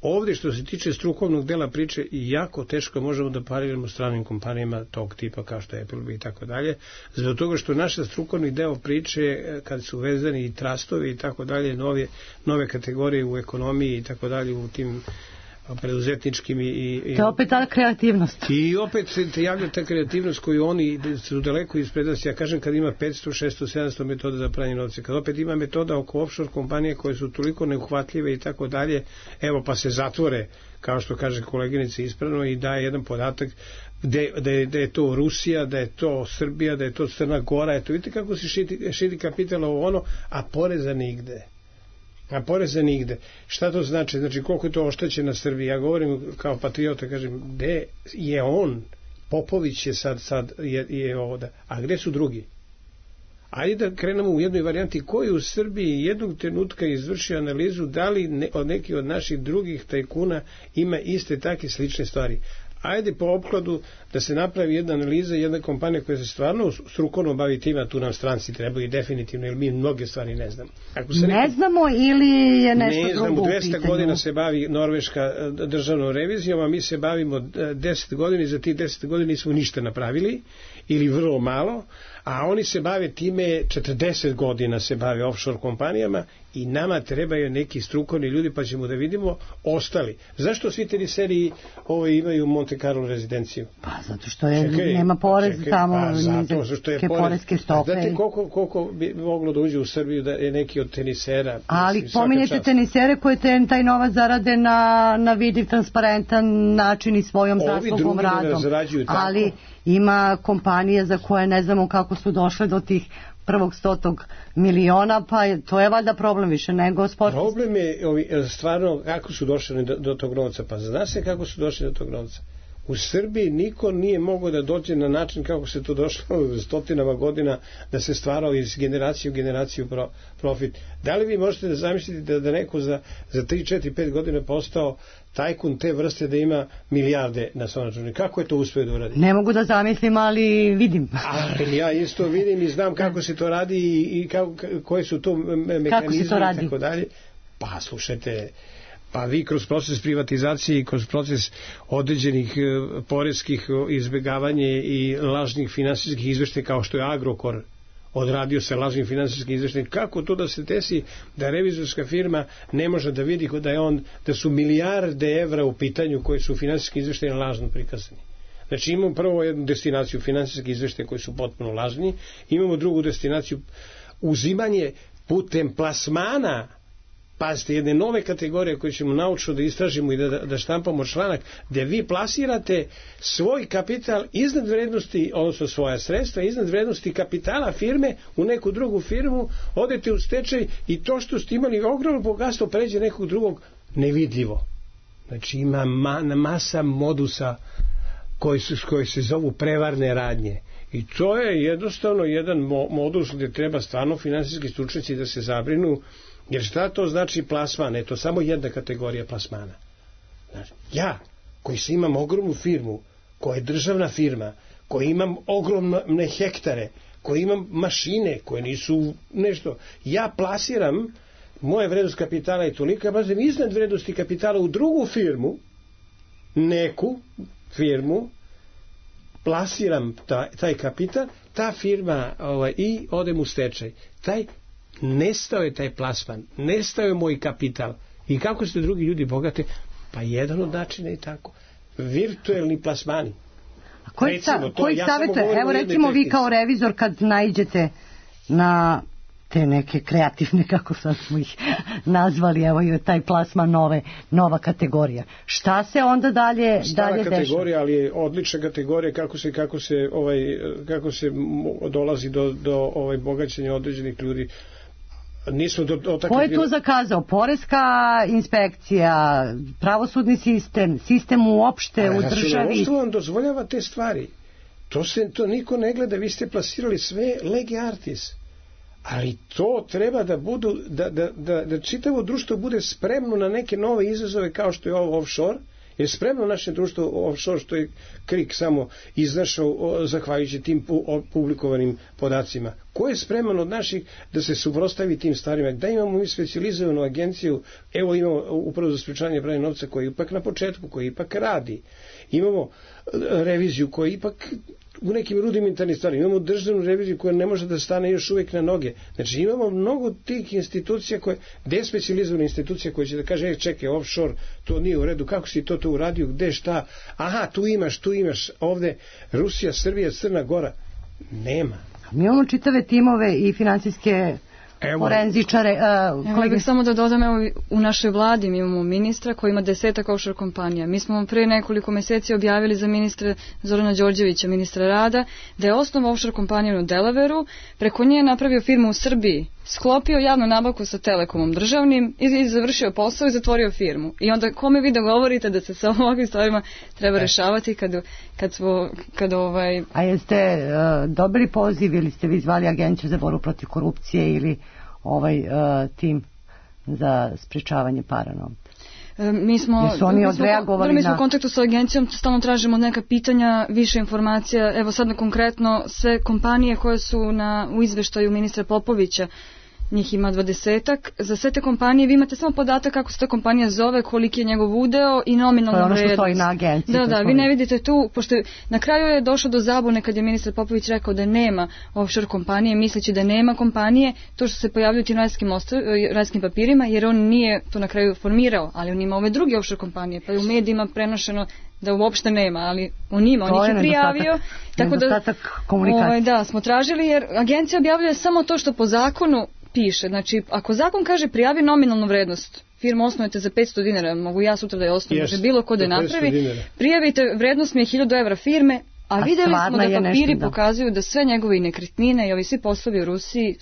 Ovdje što se tiče strukovnog dela priče jako teško možemo da pariramo stranim kompanijama tog tipa kao što je Appleby i tako dalje, zbog toga što naša strukovni deo priče kad su vezani i trastovi i tako dalje, nove, nove kategorije u ekonomiji i tako dalje u tim preduzetničkim i, i... To je opet ta kreativnost. I opet se javlja ta kreativnost koju oni su daleko ispred nas. Ja kažem kad ima petsto, šesto, sedamsto metoda za pranje novca, kad opet ima metoda oko offshore kompanije koje su toliko neuhvatljive i tako dalje, evo pa se zatvore, kao što kaže koleginica ispravno, i daje jedan podatak da je, da je to Rusija, da je to Srbija, da je to Crna Gora, eto vidite kako se širi, širi kapital ovo ono, a poreza nigde. A poreza nigde. Šta to znači? Znači koliko je to oštećena Srbija? Ja govorim kao patriota, kažem, gde je on? Popović je sad, sad je, je ovdje. A gde su drugi? Ajde da krenemo u jednoj varijanti. Ko je u Srbiji jednog trenutka izvršio analizu da li ne, od neki od naših drugih tajkuna ima iste takve slične stvari? ajde po opkladu da se napravi jedna analiza, jedna kompanija koja se stvarno strukovno bavi tima, tu nam stranci trebaju definitivno, jer mi mnoge stvari ne znamo. Ako se ne neko... znamo ili je nešto ne drugo znamo, u dvesta pitanju? godina se bavi Norveška državnom revizijom, a mi se bavimo deset godina i za tih deset godina nismo ništa napravili ili vrlo malo, a oni se bave time, četrdeset godina se bave offshore kompanijama i nama trebaju neki strukovni ljudi, pa ćemo da vidimo ostali. Zašto svi teniseri ovo imaju Monte Carlo rezidenciju? Pa zato što je, čekaj, nema porez čekaj, tamo, pa zato što je poreske stope. Znate koliko, koliko bi moglo da uđe u Srbiju da je neki od tenisera? Ali mislim, pominjete tenisere koje ten, taj novac zarade na, na vidljiv, transparentan način i svojom zaslugom radom. Ali ima kompanije za koje ne znamo kako su došle do tih prvog stotog miliona, pa je, to je valjda problem više nego sportisti. Problem je ovi, stvarno kako su došli do, do tog novca, pa zna se kako su došli do tog novca. U Srbiji niko nije mogao da dođe na način kako se to došlo stotinama godina, da se stvarao iz generacije u generaciju pro, profit. Da li vi možete da zamisliti da, da neko za, za tri, četiri, pet godina postao tajkun te vrste da ima milijarde na svom računu? Kako je to uspio da uradi? Ne mogu da zamislim, ali vidim. Ali ja isto vidim i znam kako se to radi i, i kako, koje su to mehanizme i tako dalje. Pa slušajte, pa vi kroz proces privatizacije i kroz proces određenih poreskih izbjegavanja i lažnih finansijskih izveštaja kao što je Agrokor odradio sa lažnim finansijskim izveštajem, kako to da se desi da revizorska firma ne može da vidi da je on, da su milijarde evra u pitanju koji su u finansijskim izveštajima lažno prikazani. Znači imamo prvo jednu destinaciju finansijskih izveštaja koji su potpuno lažni, imamo drugu destinaciju uzimanje putem plasmana, pazite, jedne nove kategorije koje ćemo naučno da istražimo i da, da štampamo članak, gde vi plasirate svoj kapital iznad vrednosti, odnosno svoja sredstva iznad vrednosti kapitala firme u neku drugu firmu, odete u stečaj i to što ste imali ogromno bogatstvo pređe nekog drugog nevidljivo. Znači ima ma, masa modusa koji, su, koji se zovu prevarne radnje. I to je jednostavno jedan modus gdje treba stvarno finansijski stručnjaci da se zabrinu. Jer šta to znači plasman? Je to samo jedna kategorija plasmana. Znači, ja, koji se imam ogromnu firmu, koja je državna firma, koji imam ogromne hektare, koji imam mašine koje nisu nešto, ja plasiram, moja vrednost kapitala je tolika, bazem iznad vrednosti kapitala u drugu firmu, neku firmu, plasiram taj, taj kapital, ta firma ovaj, i odem u stečaj. Taj nestao je taj plasman, nestao je moj kapital. I kako ste drugi ljudi bogate? Pa jedan od načina je tako. Virtuelni plasmani. A koji, recimo, sa, to, koji ja savjetuje? Evo recimo vi kao revizor kad naiđete na te neke kreativne, kako sad smo ih nazvali, evo je taj plasman nove, nova kategorija. Šta se onda dalje, Stara dalje kategorija, dešava? ali je odlična kategorija kako se, kako se, ovaj, kako se dolazi do, do ovaj, bogaćenja određenih ljudi. Nismo do, do Ko je tu zakazao? Poreska inspekcija, pravosudni sistem, sistem uopšte u državi? Računovodstvo vam dozvoljava te stvari. To, se, to niko ne gleda, vi ste plasirali sve lege artis. Ali to treba da budu, da, da, da, da čitavo društvo bude spremno na neke nove izazove kao što je ovo offshore, jer spremno naše društvo offshore što je Krik samo iznašao zahvaljujući tim publikovanim podacima. Ko je spreman od naših da se suprotstavi tim stvarima? Da imamo mi specijalizovanu agenciju, evo imamo upravo za sprečavanje pranja novca koji ipak na početku, koji ipak radi. Imamo reviziju koja ipak u nekim rudimentarnim stvarima. Imamo državnu reviziju koja ne može da stane još uvijek na noge. Znači imamo mnogo tih institucija koje, despecializovane institucije koje će da kaže, e, čekaj, offshore, to nije u redu, kako si to to uradio, gde, šta, aha, tu imaš, tu imaš, ovde Rusija, Srbija, Crna Gora. Nema. Mi imamo čitave timove i finansijske forenzičare. Uh, kolega, bih samo da dodam, evo, u našoj vladi mi imamo ministra koji ima desetak offshore kompanija. Mi smo pre nekoliko meseci objavili za ministra Zorana Đorđevića, ministra rada, da je osnovao offshore kompaniju u Delaveru, preko nje je napravio firmu u Srbiji, sklopio javnu nabavku sa Telekomom državnim i završio posao i zatvorio firmu. I onda kome vi da govorite da se sa ovakvim stvarima treba rešavati kad, kad, smo, kad ovaj... A jeste uh, dobili poziv ili ste vi zvali agenciju za borbu protiv korupcije ili ovaj uh, tim za sprečavanje para novca? Mi smo, Jesu oni mi smo, odreagovali mi smo na... u kontaktu sa agencijom, stalno tražimo neka pitanja, više informacija. Evo sad na konkretno sve kompanije koje su na, u izveštaju ministra Popovića, njih ima dvadesetak. Za sve te kompanije vi imate samo podatak kako se ta kompanija zove, koliki je njegov udeo i nominalna vrednost. To je ono što stoji na agenciji. Da, da, vi ne vidite tu, pošto na kraju je došlo do zabune kad je ministar Popović rekao da nema offshore kompanije, misleći da nema kompanije, to što se pojavljuju tim rajskim, ostav, rajskim papirima, jer on nije to na kraju formirao, ali on ima ove druge offshore kompanije, pa je u medijima prenošeno da uopšte nema, ali on ima, on ih je prijavio. Tako da, ovaj, da, smo tražili, jer agencija objavljuje samo to što po zakonu piše. Znači, ako zakon kaže prijavi nominalnu vrednost, firmu osnujete za petsto dinara, mogu ja sutra da je osnovim, može bilo ko da je napravi, prijavite, vrednost mi je hiljadu evra firme, a, a vidjeli smo da papiri nešto, da. pokazuju da sve njegove nekretnine i ovi svi poslovi u Rusiji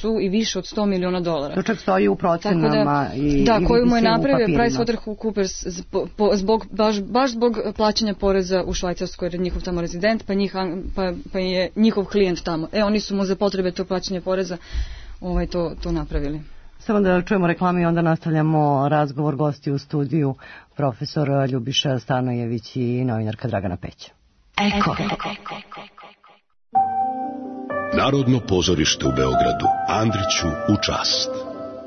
su i više od sto miliona dolara. To čak stoji u procenama da, i da, i koju mu je napravio PricewaterhouseCoopers zbog, zbog, baš, baš zbog plaćanja poreza u Švajcarskoj, jer je njihov tamo rezident, pa, njih, pa, pa je njihov klijent tamo. E, oni su mu za potrebe to plaćanja poreza ovaj, to, to napravili. Samo da čujemo reklame i onda nastavljamo razgovor. Gosti u studiju, profesor Ljubiša Stanojević i novinarka Dragana Peća. Eko. Narodno pozorište u Beogradu, Andriću u čast.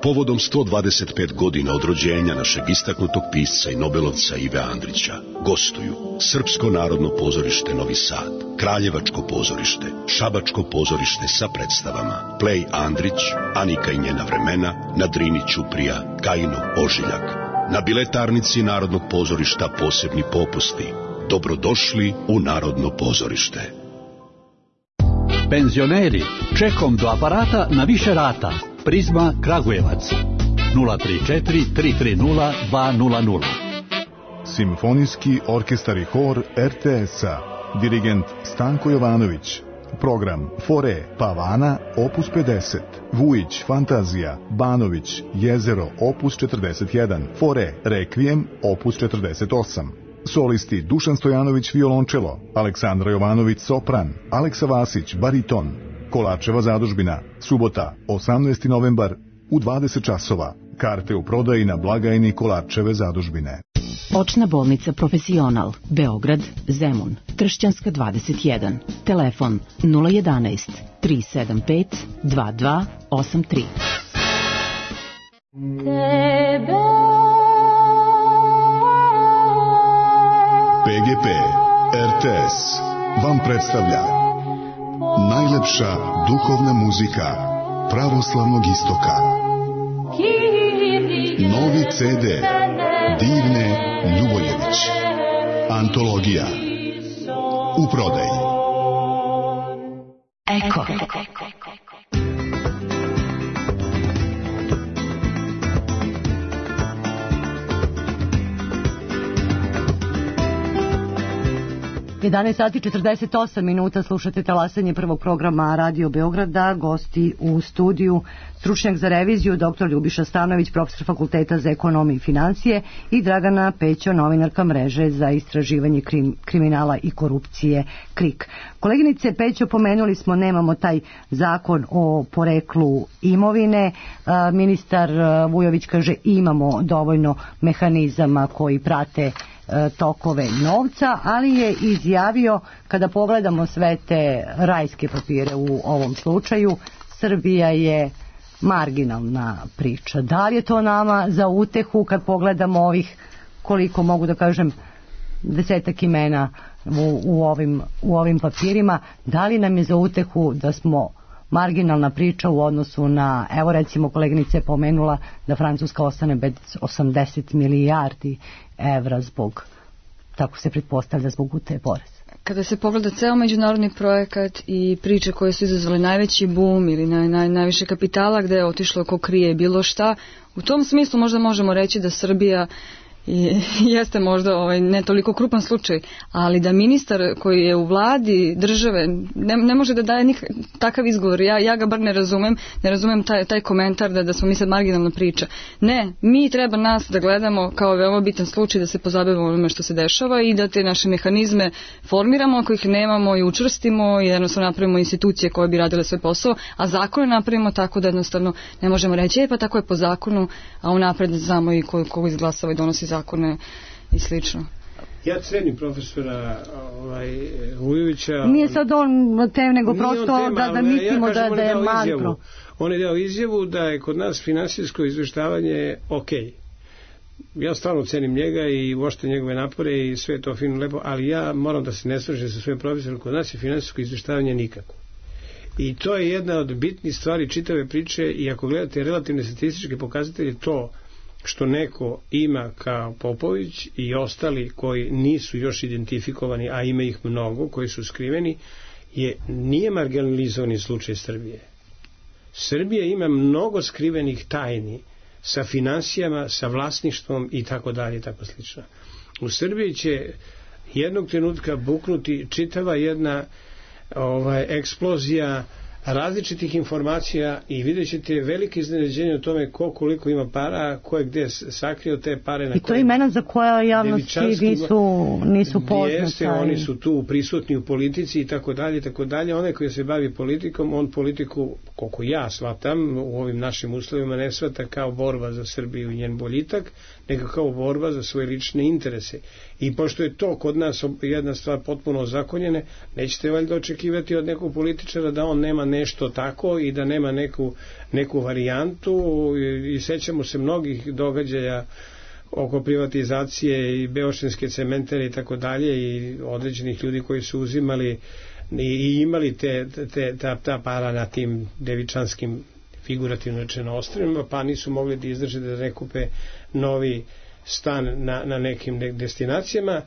Povodom sto dvadeset pet godina od rođenja našeg istaknutog pisca i nobelovca Ive Andrića gostuju Srpsko narodno pozorište Novi Sad, Kraljevačko pozorište, Šabačko pozorište sa predstavama Plej Andrić, Anika i njena vremena, na Drini Ćuprija, Kajino Ožiljak. Na biletarnici Narodnog pozorišta posebni popusti. Dobrodošli u Narodno pozorište. Penzioneri, čekom do aparata na više rata. Prizma Kragujevac nula tri četiri tri tri nula dva nula nula. Simfonijski orkestar i hor er te es-a. Dirigent Stanko Jovanović. Program Fore Pavana opus pedeset, Vujić Fantazija, Banović Jezero opus četrdeset jedan, Fore Rekvijem opus četrdeset osam. Solisti Dušan Stojanović violončelo, Aleksandra Jovanović sopran, Aleksa Vasić bariton. Kolačeva zadužbina, subota, osamnaesti novembar u dvadeset časova. Karte u prodaji na blagajni Kolačeve zadužbine. Očna bolnica Profesional, Beograd, Zemun, Tršćanska dvadeset jedan. Telefon nula jedanaest tri sedam pet dva dva osam tri. pe ge pe er te es vam predstavlja najlepša duhovna muzika pravoslavnog istoka. Novi ce de Divne Ljubojević. Antologija. U prodaji. Eko. jedanaest sati četrdeset osam minuta, slušate talasanje prvog programa Radio Beograda. Gosti u studiju, stručnjak za reviziju doktor Ljubiša Stanojević, profesor Fakulteta za ekonomiju i financije, i Dragana Peća, novinarka mreže za istraživanje krim, kriminala i korupcije KRIK. Koleginice Pećo, pomenuli smo, nemamo taj zakon o poreklu imovine. Ministar Vujović kaže imamo dovoljno mehanizama koji prate tokove novca, ali je izjavio, kada pogledamo sve te rajske papire u ovom slučaju, Srbija je marginalna priča. Da li je to nama za utehu kad pogledamo ovih, koliko mogu da kažem, desetak imena u, u, ovim, u ovim papirima, da li nam je za utehu da smo marginalna priča u odnosu na, evo recimo koleginica je pomenula da Francuska ostane bez osamdeset milijardi evra zbog, tako se pretpostavlja, zbog utaje poreza. Kada se pogleda ceo međunarodni projekat i priče koje su izazvale najveći boom ili naj, naj, najviše kapitala gde je otišlo ko krije bilo šta, u tom smislu možda možemo reći da Srbija i jeste možda ovaj, ne toliko krupan slučaj, ali da ministar koji je u vladi države ne, ne može da daje nik, takav izgovor, ja, ja ga bar ne razumem, ne razumem taj, taj komentar da, da smo mi sad marginalna priča. Ne, mi treba nas da gledamo kao veoma bitan slučaj, da se pozabavimo onome što se dešava i da te naše mehanizme formiramo, ako ih nemamo i učvrstimo i jednostavno napravimo institucije koje bi radile svoj posao, a zakone napravimo tako da jednostavno ne možemo reći, e pa tako je po zakonu, a unapred znamo i ko, ko izglasava i donosi zakon zakone i slično. Ja cenim profesora ovaj, Vujovića. Nije sad on tem, nego prosto tema, da, da mislimo ja kažem, da, da je mantro. On je dao izjavu da je kod nas finansijsko izveštavanje ok. Ja stvarno cenim njega i uopšte njegove napore i sve to fino lepo, ali ja moram da se ne slažem sa svojim profesorom, kod nas je finansijsko izveštavanje nikako. I to je jedna od bitnih stvari čitave priče i ako gledate relativne statističke pokazatelje, to što neko ima kao Popović i ostali koji nisu još identifikovani, a ima ih mnogo, koji su skriveni, je, nije marginalizovani slučaj Srbije. Srbija ima mnogo skrivenih tajni sa finansijama, sa vlasništvom i tako dalje i tako slično. U Srbiji će jednog trenutka buknuti čitava jedna ovaj, eksplozija različitih informacija i vidjet ćete velike iznenađenje o tome ko koliko ima para, ko je gde sakrio te pare. Na I to je imena za koja javnosti nisu, nisu poznata. Jeste, oni su tu prisutni u politici i tako dalje, tako dalje. Onaj koji se bavi politikom, on politiku, koliko ja shvatam, u ovim našim uslovima ne shvata kao borba za Srbiju i njen boljitak, nego kao borba za svoje lične interese. I pošto je to kod nas jedna stvar potpuno ozakonjene, nećete valjda očekivati od nekog političara da on nema nešto tako i da nema neku, neku varijantu i, i sećamo se mnogih događaja oko privatizacije i beočinske cementere i tako dalje i određenih ljudi koji su uzimali i, i imali te, te, ta, ta para na tim devičanskim figurativno rečeno ostrvima, pa nisu mogli da izdrže da ne kupe novi stan na, na nekim destinacijama.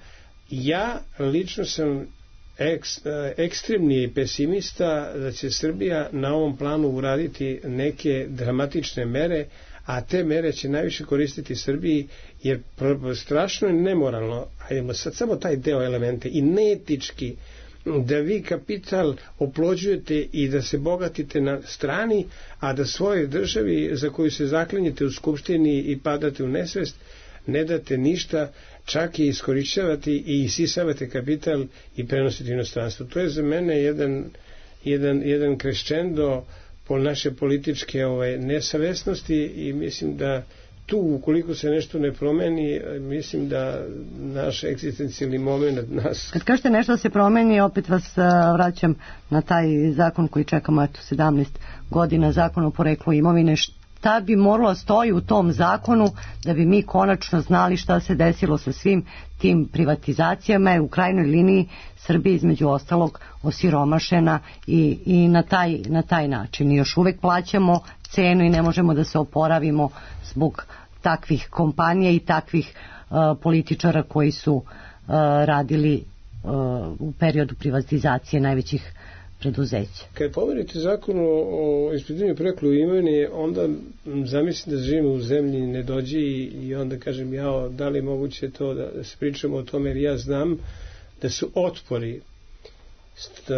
Ja lično sam Ek, ekstremni pesimista da će Srbija na ovom planu uraditi neke dramatične mere, a te mere će najviše koristiti Srbiji, jer strašno je nemoralno, ajmo sad samo taj deo elemente, i neetički da vi kapital oplođujete i da se bogatite na strani, a da svojoj državi za koju se zaklinjete u skupštini i padate u nesvest, ne date ništa, čak i iskorišćavati i isisavate kapital i prenositi inostranstvo. To je za mene jedan, jedan, jedan kreščendo po naše političke ovaj, nesavesnosti i mislim da tu, ukoliko se nešto ne promeni, mislim da naš egzistencijalni moment nas... Kad kažete nešto da se promeni, opet vas vraćam na taj zakon koji čekamo eto sedamnaest godina, zakon o poreklu imovine. Šta bi moralo stoji u tom zakonu da bi mi konačno znali šta se desilo sa svim tim privatizacijama, je u krajnjoj liniji Srbija između ostalog osiromašena i, i na, taj, na taj način. I još uvek plaćamo cenu i ne možemo da se oporavimo zbog takvih kompanija i takvih uh, političara koji su uh, radili uh, u periodu privatizacije najvećih preduzeća. Kad pomenete zakon o, o ispitivanju porekla imovine, onda zamislim da živimo u zemlji nedođi i, i onda kažem ja, da li je moguće to da, da se pričamo o tome, jer ja znam da su otpori st,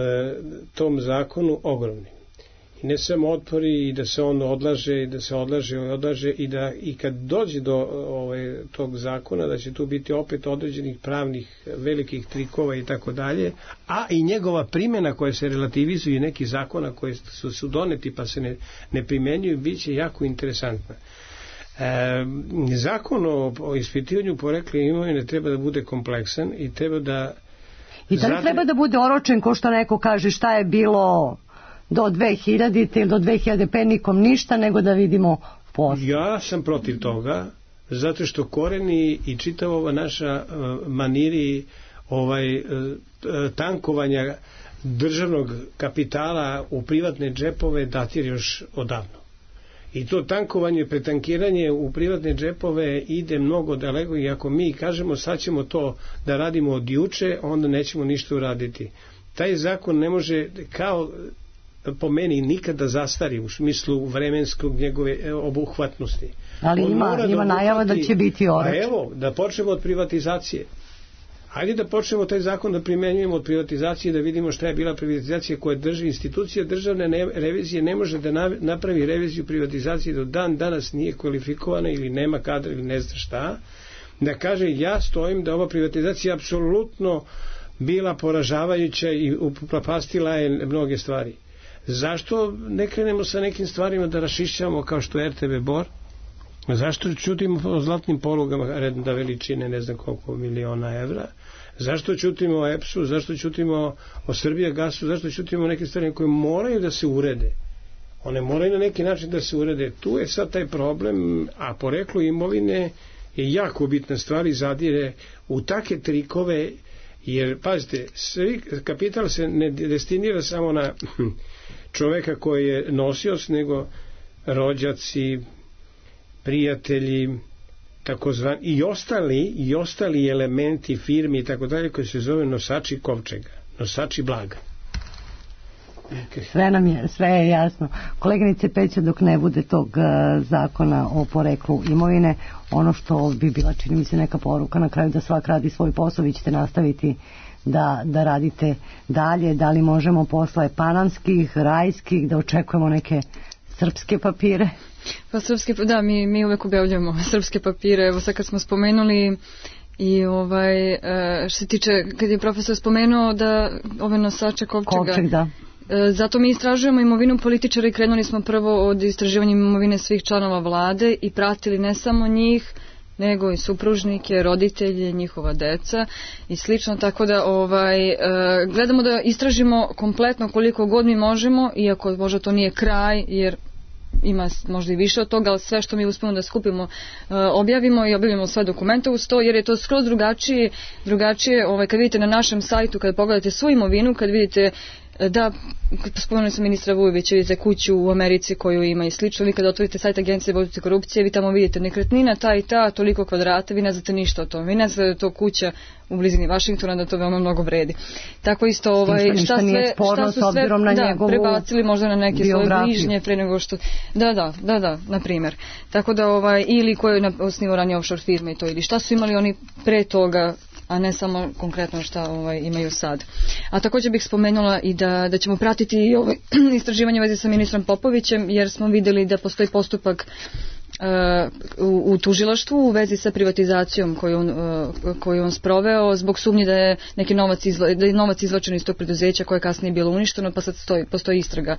tom zakonu ogromni. I ne samo otpori i da se on odlaže i da se odlaže i odlaže i da i kad dođe do ovaj, tog zakona da će tu biti opet određenih pravnih velikih trikova i tako dalje, a i njegova primjena koja se relativizuje i neki zakona koji su, su doneti pa se ne, ne primenjuju bit će jako interesantna. E, zakon o, o ispitivanju porekla imovine treba da bude kompleksan i treba da i da li zade... treba da bude oročen ko što neko kaže šta je bilo do dve hiljadite ili do dve hiljade pete nikom ništa, nego da vidimo posle. Ja sam protiv toga, zato što koreni i čitava ova naša uh, maniri ovaj, uh, tankovanja državnog kapitala u privatne džepove datir još odavno. I to tankovanje, pretankiranje u privatne džepove ide mnogo daleko i ako mi kažemo sad ćemo to da radimo od juče, onda nećemo ništa uraditi. Taj zakon ne može kao po meni nikada zastari u smislu vremenskog njegove obuhvatnosti. Ali on ima, ima da najava da će biti oročen. A evo, da počnemo od privatizacije. Hajde da počnemo taj zakon da primenjujemo od privatizacije, da vidimo šta je bila privatizacija koja drži institucija državne ne, revizije ne može da na, napravi reviziju privatizacije do dan danas nije kvalifikovana ili nema kadra ili ne zna šta, da kaže ja stojim da ova privatizacija apsolutno bila poražavajuća i upropastila je mnoge stvari. Zašto ne krenemo sa nekim stvarima da rašišćamo kao što je R T B Bor, Zašto čutimo o zlatnim polugama reda veličine ne znam koliko miliona evra? Zašto čutimo o E P S-u? Zašto čutimo o Srbijagasu? Zašto čutimo o neke stvari koje moraju da se urede? One moraju na neki način da se urede. Tu je sad taj problem, a poreklo imovine je jako bitna stvar i zadire u take trikove, jer, pazite, svi, kapital se ne destinira samo na čoveka koji je nosioc, nego rođaci, prijatelji, takozvani, i ostali, i ostali elementi firmi i tako dalje, koji se zove nosači kovčega, nosači blaga. Sve nam je, sve je jasno. Koleginice Peća, dok ne bude tog uh, zakona o poreklu imovine, ono što bi bila, čini mi se, neka poruka na kraju da svak radi svoj posao, vi ćete nastaviti da, da radite dalje. Da li možemo posle panamskih, rajskih, da očekujemo neke srpske papire? Pa srpske, da, mi, mi uvek objavljamo srpske papire. Evo sad kad smo spomenuli i ovaj, što se tiče, kad je profesor spomenuo da ove nosače kovčega, Kovčeg, da. Zato mi istražujemo imovinu političara i krenuli smo prvo od istraživanja imovine svih članova vlade i pratili ne samo njih, nego i supružnike, roditelje, njihova deca i slično, tako da ovaj, gledamo da istražimo kompletno koliko god mi možemo, iako možda to nije kraj, jer ima možda i više od toga, ali sve što mi uspemo da skupimo objavimo i objavimo sve dokumente uz to, jer je to skroz drugačije, drugačije ovaj, kad vidite na našem sajtu, kad pogledate svu imovinu, kad vidite da, spomenuli sam ministra Vujovića, vidite kuću u Americi koju ima i slično, vi kada otvorite sajt Agencije borbe protiv korupcije, vi tamo vidite nekretnina ta i ta, toliko kvadrata, vi ne znate ništa o tom, vi ne znate da je to kuća u blizini Vašingtona, da to veoma mnogo vredi. Tako isto, ovaj, šta, šta, sve, šta su sve da, prebacili možda na neke svoje bližnje pre nego što... Da, da, da, da, na primjer. Tako da, ovaj, ili ko je osnivao ranije offshore firme i to, ili šta su imali oni pre toga, a ne samo konkretno šta ovaj, imaju sad. A također bih spomenula i da, da ćemo pratiti ovaj, istraživanje u vezi sa ministrom Popovićem, jer smo vidjeli da postoji postupak uh, u, u tužilaštvu u vezi sa privatizacijom koju on, uh, koju on sproveo zbog sumnje da je neki novac, izva, da je novac izvlačen iz tog preduzeća koje je kasnije bilo uništeno, pa sad stoji, postoji istraga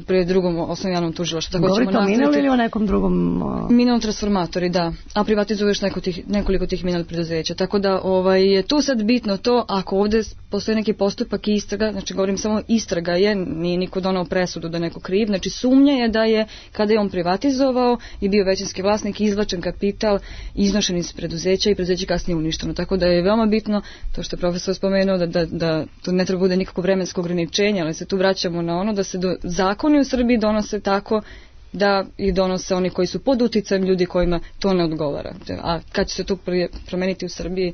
pri drugom osnovnom javnom tužilaštvu. Govorite o Minel ili o nekom drugom? Uh... Minel transformatori, da. A privatizuješ neko tih, nekoliko tih Minel preduzeća. Tako da ovaj, je tu sad bitno to, ako ovdje postoji neki postupak i istraga, znači govorim samo istraga je, nije niko donao presudu da neko kriv, znači sumnja je da je, kada je on privatizovao i bio većinski vlasnik, izvlačen kapital, iznošen iz preduzeća i preduzeće kasnije uništeno. Tako da je veoma bitno, to što je profesor spomenuo, da, da, da tu ne treba bude nikako vremensko ograničenje, ali se tu vraćamo na ono da se do, zakoni u Srbiji donose tako da ih donose oni koji su pod uticajem ljudi kojima to ne odgovara. A kad će se to promeniti u Srbiji,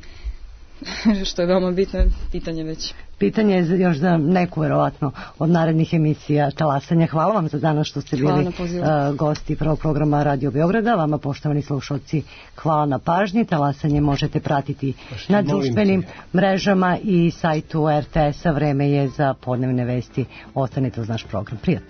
što je veoma bitno, pitanje već. Pitanje je još za neku verovatno od narednih emisija Talasanja. Hvala vam za danas što ste bili uh, gosti prvog programa Radio Beograda. Vama, poštovani slušalci, hvala na pažnji. Talasanje možete pratiti Pošto na društvenim mrežama i sajtu R T S-a. Vreme je za podnevne vesti. Ostanite uz naš program. Prijatno.